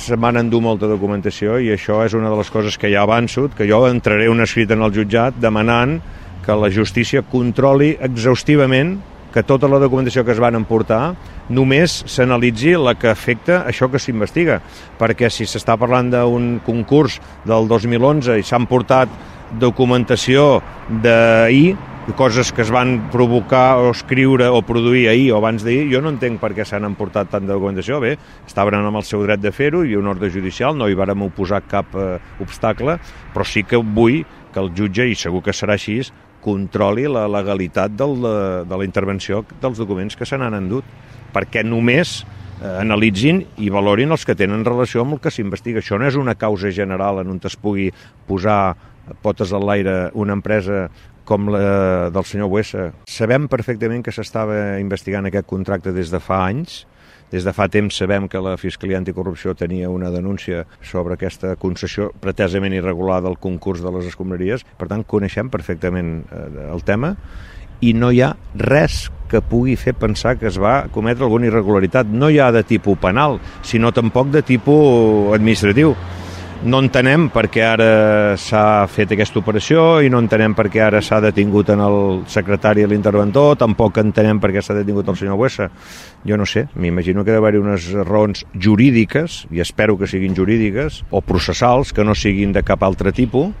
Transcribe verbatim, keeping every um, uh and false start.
se m'han endur molta documentació i això és una de les coses que ja avanço, que jo entraré un escrit en el jutjat demanant que la justícia controli exhaustivament que tota la documentació que es van emportar només s'analitzi la que afecta això que s'investiga, perquè si s'està parlant d'un concurs del dos mil onze i s'han portat documentació d'ahir, coses que es van provocar o escriure o produir ahir o abans d'ahir, jo no entenc per què s'han emportat tant de documentació. Bé, estaven amb el seu dret de fer-ho, hi havia un ordre judicial, no hi vàrem oposar cap eh, obstacle, però sí que vull que el jutge, i segur que serà així, controli la legalitat del, de, de la intervenció dels documents que se n'han endut, perquè només eh, analitzin i valorin els que tenen relació amb el que s'investiga. Això no és una causa general en on es pugui posar potes al l'aire una empresa com la del senyor Buesa. Sabem perfectament que s'estava investigant aquest contracte des de fa anys. Des de fa temps sabem que la Fiscalia Anticorrupció tenia una denúncia sobre aquesta concessió pretesament irregular del concurs de les escombraries. Per tant, coneixem perfectament el tema i no hi ha res que pugui fer pensar que es va cometre alguna irregularitat. No hi ha de tipus penal, sinó tampoc de tipus administratiu. No entenem per què ara s'ha fet aquesta operació i no entenem per què ara s'ha detingut en el secretari i l'interventor, tampoc entenem per què s'ha detingut el senyor Buesa. Jo no sé, m'imagino que ha d'haver-hi unes raons jurídiques, i espero que siguin jurídiques, o processals, que no siguin de cap altre tipus.